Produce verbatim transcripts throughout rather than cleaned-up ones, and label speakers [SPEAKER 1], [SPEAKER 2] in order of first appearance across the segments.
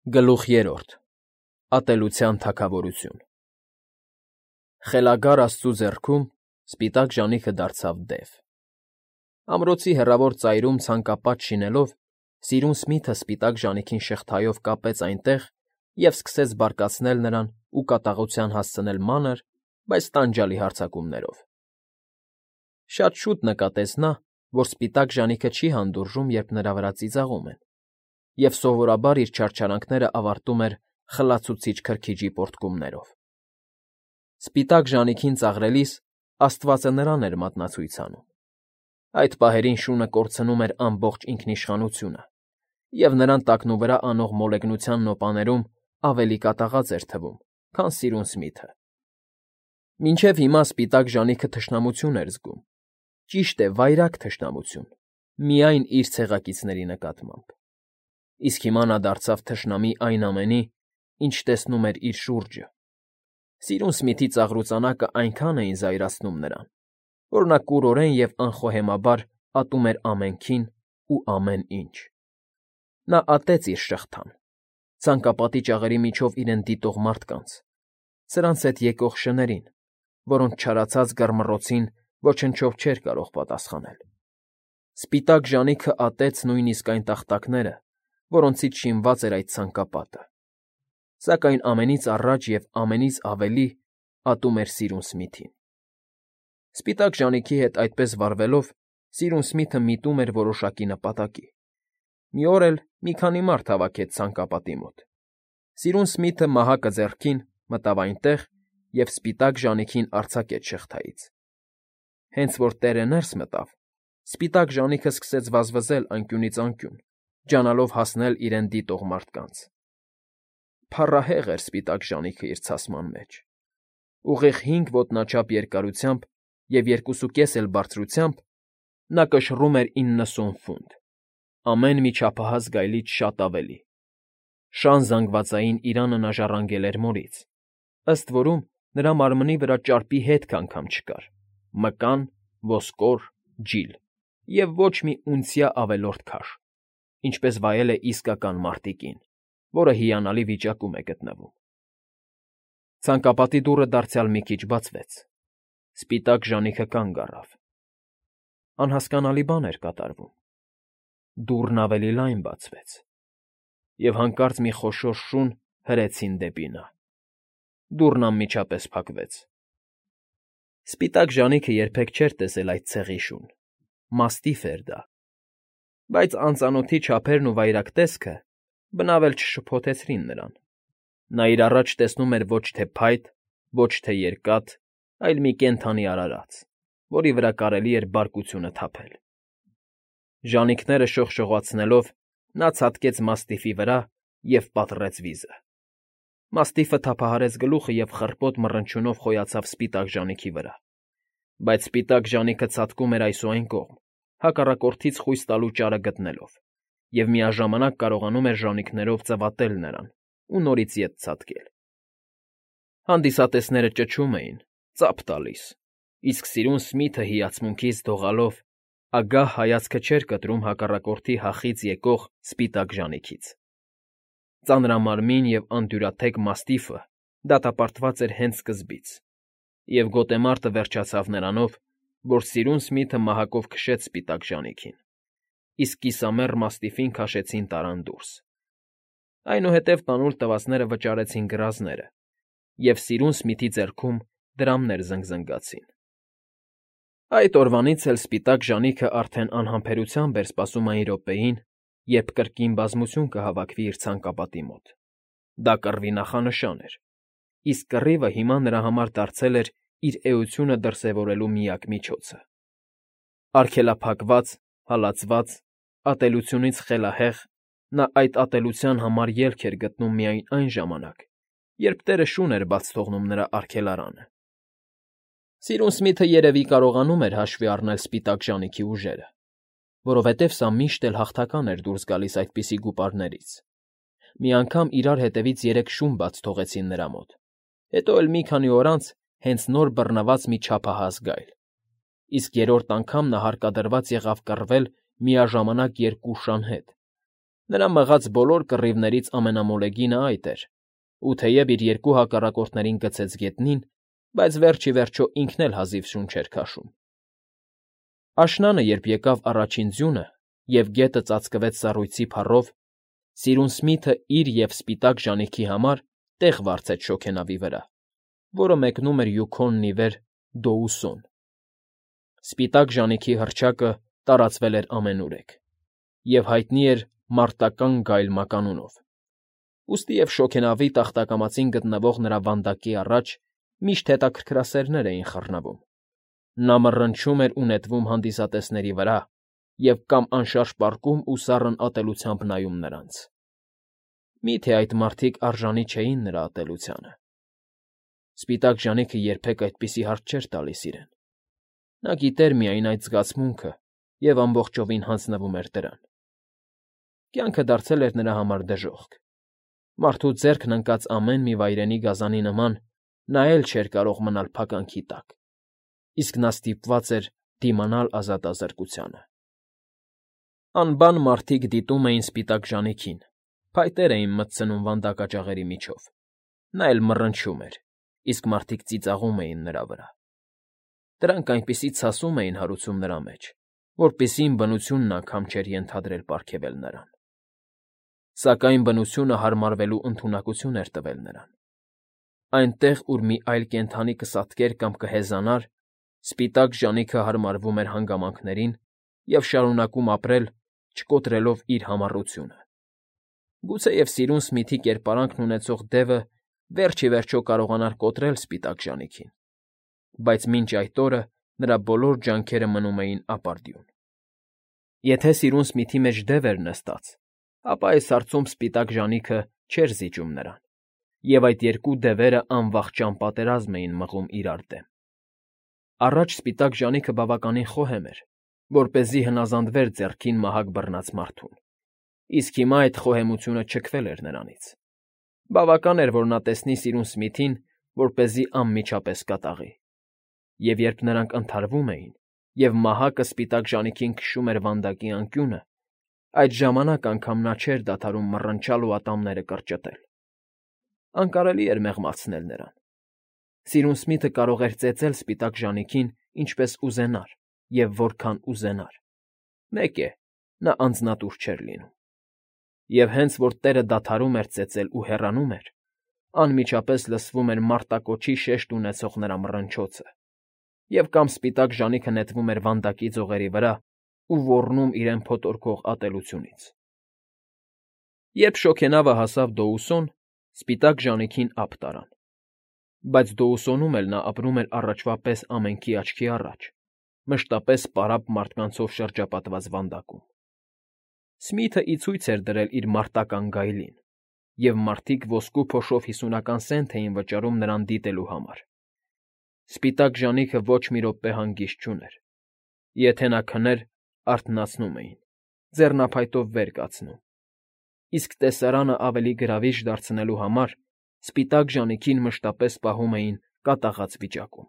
[SPEAKER 1] Գլուխ երրորդ Ատելության թագավորություն Խելագար աստծու ձեռքում սպիտակ ժանիքը դարձավ դև։ Ամրոցի հեռավոր ծայրում ցանկապատ շինելով, սիրուն Սմիթը սպիտակ ժանիքին շղթայով կապեց այնտեղ և սկսեց բարկացնել նրան ու կատաղության հասցնել մանր, բայց տանջալի հարձակումներով։ Շատ շուտ նկատեց նա, որ սպիտակ ժանիքը չի հանդուրժում, երբ նրա վրա ծիծաղում են, և սովորաբար իր չարչարանքները ավարտում էր խլացուցիչ քրքիջի պոռթկումներով։ Սպիտակ ժանիքին ծաղրելիս աստվածը նրան էր մատնացույց անում։ Այդ պահերին շունը կորցնում էր ամբողջ ինքնիշխանությունը, և նրան տակնուվրա անող մոլեգնության նոպաներում ավելի կատաղած էր թվում, քան սիրուն Սմիթը։ Մինչև հիմա սպիտակ ժանիքը թշնամություն էր զգում, ճիշտ է, վայրագ թշնամություն, միայն իր ցեղակիցների նկատմամբ։ Իսկ հիմա նա դարձավ թշնամի այն ամենի, ինչ տեսնում էր իր շուրջը։ Սիրուն Սմիթի ծաղրուծանակը այնքան էին զայրացնում նրան, որ նա կուրորեն և անխոհեմաբար ատում էր ամենքին ու ամեն ինչ։ Նա ատեց իր շղթան, ցանկապատի ճաղերի միջով իրեն դիտող մարդկանց, սրանց հետ եկող շներին, որոնց չարացած գռմռոցին ոչնչով չէր կարող պատասխանել։ Սպիտակ ժանիքը ատեց նույնիսկ այն տախտակները, որոնցից շինված էր այդ ցանկապատը, սակայն ամենից առաջ և ամենից ավելի ատում էր սիրուն Սմիթին։ Սպիտակ ժանիքի հետ այդպես վարվելով՝ սիրուն Սմիթը միտում էր որոշակի նպատակի։ Մի օր էլ մի քանի մարդ հավաքեց ցանկապատի մոտ։ Սիրուն Սմիթը մահակը ձեռքին մտավ այնտեղ և սպիտակ ժանիքին արձակեց շղթայից։ Հենց որ տեղը ներս մտավ, սպիտակ ժանիքը սկսեց վազվզել անկյունից անկյուն, ջանալով հասնել իրեն դիտող մարդկանց։ Փառահեղ էր սպիտակ ժանիքը իր ցասման մեջ։ Ուղիղ հինգ ոտնաչափ երկարությամբ և երկուսուկես էլ բարձրությամբ նա կշռում էր իննսուն ֆունտ, ամեն մի չափահաս գայլից շատ ավելի։ Շան զանգվածային իրանը նա ժառանգել էր մորից, ըստ որում նրա մարմնի վրա ճարպի հետք անգամ չկար, մկան, ոսկոր, ջիլ և ոչ մի ունցիա ավելորդ քաշ, ինչպես վայել է իսկական մարտի կին, որը հիանալի վիճակում է գտնվում։ Ցանկապատի դուռը դարձյալ մի քիչ բացվեց։ Սպիտակ ժանիքը կանգ առավ։ Անհասկանալի բան էր կատարվում։ Դուռն ավելի լայն բացվեց, և հանկարծ մի խոշոր շուն հրեցին դեպի նա։ Դուռն անմիջապես փակվեց։ Սպիտակ ժանիքը երբեք չէր տեսել այդ ցեղի շուն, մաստիֆ էր դա, բայց անծանոթի չափերն ու վայրագ տեսքը բնավ էլ չշփոթեցրին նրան։ Նա իր առաջ տեսնում էր ոչ թե փայտ, ոչ թե երկաթ, այլ մի կենդանի արարած, որի վրա կարելի էր բարկությունը թափել։ Ժանիքները շողշողացնելով՝ նա ցատկեց մաստիֆի վրա և պատռեց վիզը։ Մաստիֆը թափահարեց գլուխը և խռպոտ մռնչյունով խոյացավ սպիտակ ժանիքի վրա, բայց սպիտակ ժանիքը ցատկում էր այս ու այն կողմ, հակառակորդից խույս տալու ճարը գտնելով, և միաժամանակ կարողանում էր ժանիքներով ծվատել նրան ու նորից ետ ցատկել։ Հանդիսատեսները ճչում էին, ծափ տալիս, իսկ սիրուն Սմիթը հիացմունքից դողալով ագահ հայացքը չէր կտրում հակառակորդի հախից եկող սպիտակ ժանիքից։ Ծանրամարմին և անդյուրաթեք մաստիֆը դատապարտված էր հենց սկզբից, և գոտեմարտը վերջացավ նրանով, որ սիրուն Սմիթը մահակով քշեց սպիտակ ժանիքին, իսկ կիսամեռ մաստիֆին քաշեցին տարան դուրս։ Այնուհետև տանուլ տվածները վճարեցին գրազները, և սիրուն Սմիթի ձեռքում դրամներ զնգզնգացին։ Այդ օրվանից էլ սպիտակ ժանիքը արդեն անհամբերությամբ էր սպասում այն րոպեին, երբ կրկին բազմություն կհավաքվի իր ցանկապատի մոտ։ Դա կռվի նախանշան էր, իսկ կռիվը հիմա նրա համար դարձել էր իր էությունը դրսևորելու միակ միջոցը։ Արգելափակված, հալածված, ատելությունից խելահեղ՝ նա այդ ատելության համար ելք էր գտնում միայն այն ժամանակ, երբ տեղը շուն էր բաց թողնում նրա արգելարանը։ Սիրուն Սմիթը երևի կարողանում էր հաշվի առնել սպիտակ ժանիքի ուժերը, որովհետև սա միշտ էլ հաղթական էր դուրս գալիս այդպիսի գուպարներից։ Մի անգամ իրար հետևից երեք շուն բաց թողեցին նրա մոտ, հետո էլ մի քանի օր անց հենց նոր բռնված մի չափահաս գայլ, իսկ երրորդ անգամ նա հարկադրված եղավ կռվել միաժամանակ երկու շան հետ։ Նրա մղած բոլոր կռիվներից ամենամոլեգինը այդ էր, ու թեև իր երկու հակառակորդներին գցեց գետնին, բայց վերջ ի վերջո ինքն էլ հազիվ շուն չէր քաշում։ Աշնանը, երբ եկավ առաջին ձյունը և գետը ծածկվեց սառույցի փառով, Սիրուն Սմիթը իր և Սպիտակ Ժանիքի համար տեղ վարձեց շոգենավի վրա, որը մեկնում էր Յուքոնն ի վեր Դոուսոն։ Սպիտակ Ժանիքի հռչակը տարածվել էր ամենուրեք և հայտնի էր մարտական գայլ մականունով, ուստի և շոգենավի տախտակամածին գտնվող նրա վանդակի առաջ միշտ հետաքրքրասերներ էին խռնվում։ Նա մռնչում էր ու նետվում հանդիսատեսների վրա և կամ անշարժ պառկում ու սառն ատելությամբ նայում նրանց։ Մի՞թե այդ մարդիկ արժանի չէին նրա ատելությանը։ Սպիտակ Ժանիքը երբեք այդպիսի հարց չէր տալիս իրեն։ Նա գիտեր միայն այդ զգացմունքը և ամբողջովին հանձնվում էր դրան։ Կյանքը դարձել էր նրա համար դժոխք։ Մարդու ձեռքն ընկած ամեն մի վայրենի գազանի նման նա էլ չէր կարող մնալ փականքի տակ, իսկ նա ստիպված էր դիմանալ ազատազրկությանը։ Անբան մարդիկ դիտում էին Սպիտակ Ժանիքին, փայտեր էին մտցնում վանդակաճաղերի միջով։ Նա էլ մռնչում էր, իսկ մարդիկ ծիծաղում էին նրա վրա։ Դրանք այնպիսի ցասում էին հարուցում նրա մեջ, որպեսզի բնությունն անգամ չէր ենթադրել պարգևել նրան։ Սակայն բնությունը հարմարվելու ընդունակություն էր տվել նրան։ Այնտեղ, ուր մի այլ կենդանի կսատկեր կամ կհեզանար, Սպիտակ Ժանիքը հարմարվում էր հանգամանքներին և շարունակում ապրել, չկոտրելով իր համառությունը։ Գուցեև Սիրուն Սմիթի կերպարանքն ունեցող դևը վերջ ի վերջո կարողանար կոտրել Սպիտակ Ժանիքին, բայց մինչ այդ օրը նրա բոլոր ջանքերը մնում էին ապարդյուն։ Եթե Սիրուն Սմիթի մեջ դև էր նստած, ապա այս հարցում Սպիտակ Ժանիքը չէր զիջում նրան, և այդ երկու դևերը անվախճան պատերազմ էին մղում իրար դեմ։ Առաջ Սպիտակ Ժանիքը բավականին խոհեմ էր, որպեսզի հնազանդվեր ձեռքին մահակ բռնած մարդուն, իսկ հիմա այդ խոհեմությունը չքվել էր նրանից։ Բավական էր, որ նա տեսնի Սիրուն Սմիթին, որպեսզի անմիջապես կատաղի։ Եվ երբ նրանք ընդհարվում էին, և մահակը Սպիտակ Ժանիքին քշում էր վանդակի անկյունը, այդ ժամանակ անգամ նա չէր դադարում մռնչալ ու ատամները կրճտել։ Անկարելի էր մեղմացնել նրան։ Սիրուն Սմիթը կարող էր ծեծել Սպիտակ Ժանիքին ինչպես ուզենար և որքան ուզենար։ Մեկ է, նա անձնատուր չէր լինում։ Եվ հենց որ տեղը դադարում էր ծեծել ու հեռանում էր, անմիջապես լսվում էր մարտակոչի շեշտ ունեցող նրա մռնչոցը, և կամ Սպիտակ Ժանիքը նետվում էր վանդակի ձողերի վրա ու ոռնում իրեն փոթորկող ատելությունից։ Երբ շոգենավը հասավ Դոուսոն, Սպիտակ Ժանիքին ափ տարան։ Բայց Դոուսոնում էլ նա ապրում էր առաջվա պես ամենքի աչքի առաջ, մշտապես պարապ մարդկանցով շրջապատված վանդակում։ Սմիթը ի ցույց էր դրել իր մարտական գայլին, և մարդիկ ոսկու փոշով հիսունական սենթ էին վճարում նրան դիտելու համար։ Սպիտակ Ժանիքը ոչ մի րոպե հանգիստ չուներ։ Եթե նա քներ, արթնացնում էին, ձեռնափայտով վեր կացնում, իսկ տեսարանը ավելի գրավիչ դարձնելու համար Սպիտակ Ժանիքին մշտապես պահում էին կատաղած վիճակում։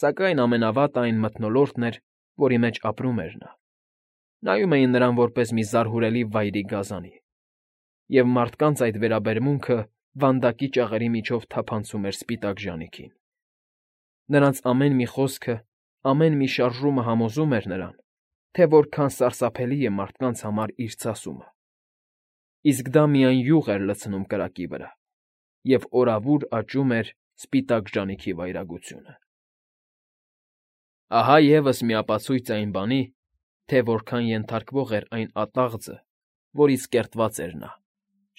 [SPEAKER 1] Սակայն ամենավատը այն մթնոլորտն էր, որի մեջ ապրում էր նա։ Նայում էին նրան որպես մի զարհուրելի վայրի գազանի, և մարդկանց այդ վերաբերմունքը վանդակի ճաղերի միջով թափանցում էր Սպիտակ Ժանիքին։ Նրանց ամեն մի խոսքը, ամեն մի շարժումը համոզում էր նրան, թե որքան սարսափելի է մարդկանց համար իր ցասումը։ Իսկ դա միայն յուղ էր լցնում կրակի վրա, և օրավուր աճում էր Սպիտակ Ժանիքի վայրագությունը։ Ահա ևս մի ապացույց այն բանի, թե որքան ենթարկվող էր այն ատաղձը, որից կերտված էր նա,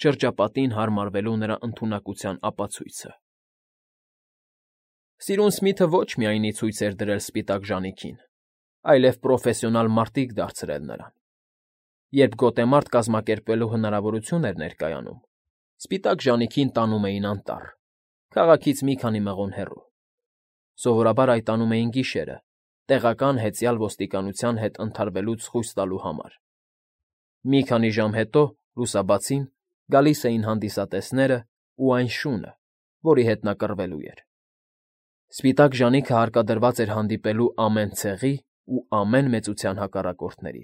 [SPEAKER 1] շրջապատին հարմարվելու նրա ընդունակության ապացույցը։ Սիրուն Սմիթը ոչ միայն ի ցույց էր դրել Սպիտակ Ժանիքին, այլև պրոֆեսիոնալ մարտիկ դարձրել նրան։ Երբ գոտեմարտ կազմակերպվելու հնարավորություն էր ներկայանում, Սպիտակ Ժանիքին տանում էին անտառ, քաղաքից մի քանի մղոն հեռու։ Սովորաբար այդ անում էին գիշերը, տեղական հեծյալ ոստիկանության հետ ընդհարվելուց խույս տալու համար։ Մի քանի ժամ հետո, լուսաբացին, գալիս էին հանդիսատեսներն ու այն շունը, որի հետ նա կռվելու էր։ Սպիտակ Ժանիքը հարկադրված էր հանդիպելու ամեն ցեղի ու ամեն մեծության հակառակորդների։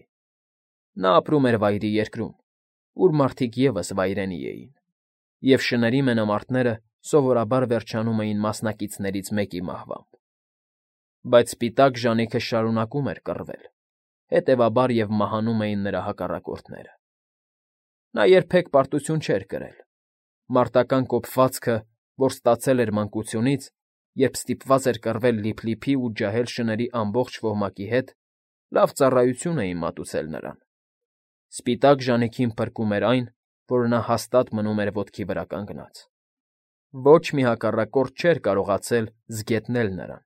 [SPEAKER 1] Նա ապրում էր Վայրի Երկրում, ուր մարդիկ ևս վայրենի էին, և շների մենամարտները սովորաբար վերջանում էին մասնակիցներից մեկի մահվամբ։ Բայց սպիտակ ժանիքը շարունակում էր կռվել, հետևաբար և մահանում էին նրա հակառակորդները։ Նա երբեք պարտություն չէր կրել։ Մարտական կոփվածքը, որ ստացել էր մանկությունից, երբ ստիպված էր կռվել լիփլիփի ու ջահել շների ամբողջ ոհմակի հետ, լավ ծառայություն էին մատուցել նրան։ Սպիտակ ժանիքին փրկում էր այն, որ նա հաստատ մնում էր ոտքի վրա կանգնած։ Ոչ մի հակառակորդ չէր կարողացել զգետնել նրան։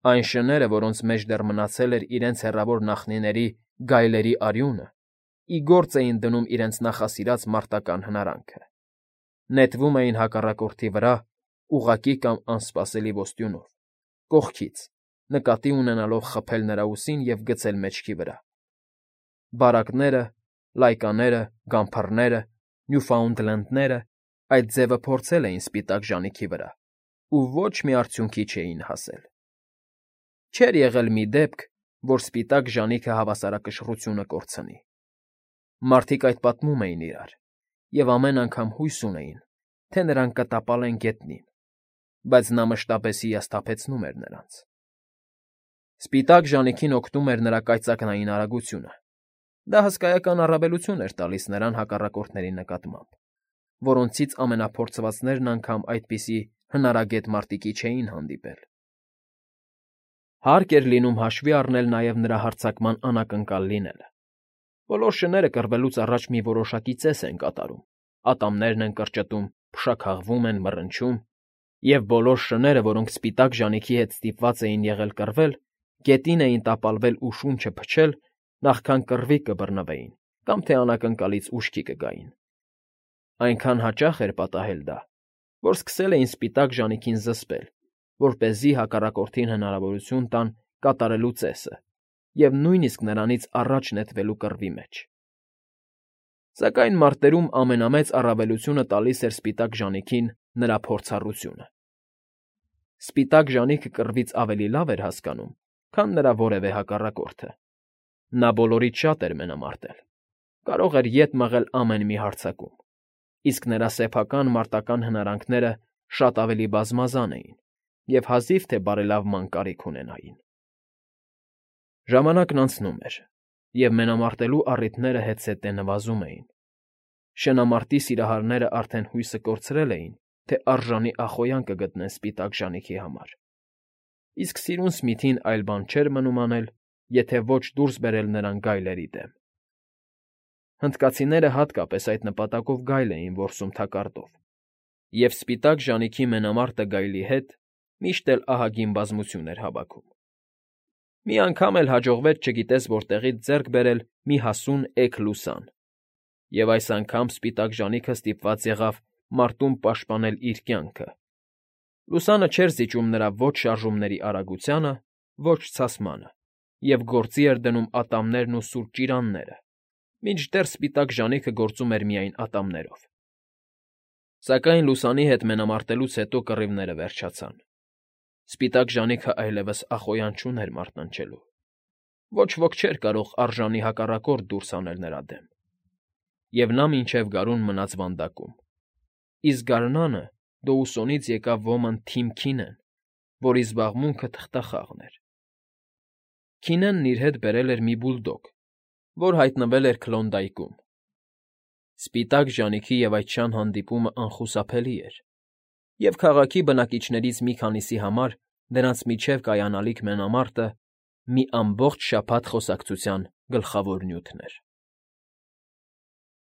[SPEAKER 1] Այն շները, որոնց մեջ դեռ մնացել էր իրենց հեռավոր նախնիների գայլերի արյունը, ի գործ էին դնում իրենց նախասիրած մարտական հնարանքը։ Նետվում էին հակառակորդի վրա, ուղղակի կամ անսպասելի ոստյունով, կողքից, նկատի ունենալով խփել նրա ուսին և գցել մեջքի վրա։ Բարակները, լայկաները, գամփռները, նյուֆաունդլենդները այդ ձևը փորձել էին սպիտակ ժանիքի վրա ու ոչ մի արդյունքի չէին հասել։ Չէր եղել մի դեպք, որ սպիտակ ժանիքը հավասարակշռությունը կորցնի։ Մարդիկ այդ պատմում էին իրար, և ամեն անգամ հույս ունեին, թե նրան կտապալեն գետնին, բայց նա մշտապես հիասթափեցնում էր նրանց։ Սպիտակ ժանիքին օգնում էր նրա կայծակնային արագությունը։ Դա հսկայական առավելություն էր տալիս նրան հակառակորդների նկատմամբ, որոնցից ամենափորձվածներն անգամ այդպիսի հնարագետ մարտիկի չէին հանդիպել։ Հարկ էր լինում հաշվի առնել նաև նրա հարձակման անակնկալ լինելը։ Բոլոր շները կռվելուց առաջ մի որոշակի ծես են կատարում, ատամներն են կրճտում, փշաքաղվում են, մռնչում, և բոլոր շները, որոնք սպիտակ ժանիքի հետ ստիպված էին եղել կռվել, գետին էին տապալվել ու շունչը փչել, նախքան կռվի կբռնվեին կամ թե անակնկալից ուշքի կգային։ Այնքան հաճախ էր պատահել դա, որ սկսել էին սպիտակ ժանիքին զսպել, որպեսզի հակառակորդին հնարավորություն տան կատարելու ծեսը և նույնիսկ նրանից առաջ նետվելու կռվի մեջ։ Սակայն մարտերում ամենամեծ առավելությունը տալիս էր սպիտակ ժանիքին նրա փորձառությունը։ Սպիտակ ժանիքը կռվից ավելի լավ էր հասկանում, քան նրա որևէ հակառակորդը։ Նա բոլորից շատ էր մենամարտել, կարող էր ետ մղել ամեն մի հարձակում, իսկ նրա սեփական մարտական հնարանքները շատ ավելի բազմազան էին և հազիվ թե բարելավման կարիք ունենային։ Ժամանակն անցնում էր, և մենամարտելու առիթները հետզհետե նվազում էին։ Շնամարտի սիրահարները արդեն հույսը կորցրել էին, թե արժանի ախոյան կգտնեն սպիտակ ժանիքի համար, իսկ սիրուն Սմիթին այլ բան չէր մնում անել, եթե ոչ դուրս բերել նրան գայլերի դեմ։ Հնդկացիները հատկապես այդ նպատակով գայլ էին որսում թակարդով, և սպիտակ ժանիքի մենամարտը գայլի հետ միշտ էլ ահագին բազմություն էր հավաքում։ Մի անգամ էլ հաջողվեց չգիտես որտեղից ձեռք բերել մի հասուն էգ լուսան, և այս անգամ սպիտակ ժանիքը ստիպված եղավ մարտում պաշտպանել իր կյանքը։ Լուսանը չէր զիջում նրա ոչ շարժումների արագությանը, ոչ ցասմանը, և գործի էր դնում ատամներն ու սուր ճիրանները, մինչդեռ սպիտակ ժանիքը գործում էր միայն ատամներով։ Սակայն լուսանի հետ մենամարտելուց հետո կռիվները վերջացան։ Սպիտակ ժանիքը այլևս ախոյան չուներ մարտնչելու։ Ոչ ոք չէր կարող արժանի հակառակորդ դուրս հանել նրա դեմ, և նա մինչև գարուն մնաց վանդակում։ Իսկ գարնանը Դոուսոնից եկավ ոմն Թիմ Քինեն, որի զբաղմունքը թղթախաղն էր։ Քինենն իր հետ բերել էր մի բուլդոգ, որ հայտնվել էր Քլոնդայքում։ Սպիտակ ժանիքի և այդչան հանդիպումը անխուսափելի էր, և քաղաքի բնակիչներից մի քանիսի համար դրանց միջև կայանալիք մենամարտը մի ամբողջ շաբաթ խոսակցության գլխավոր նյութն էր։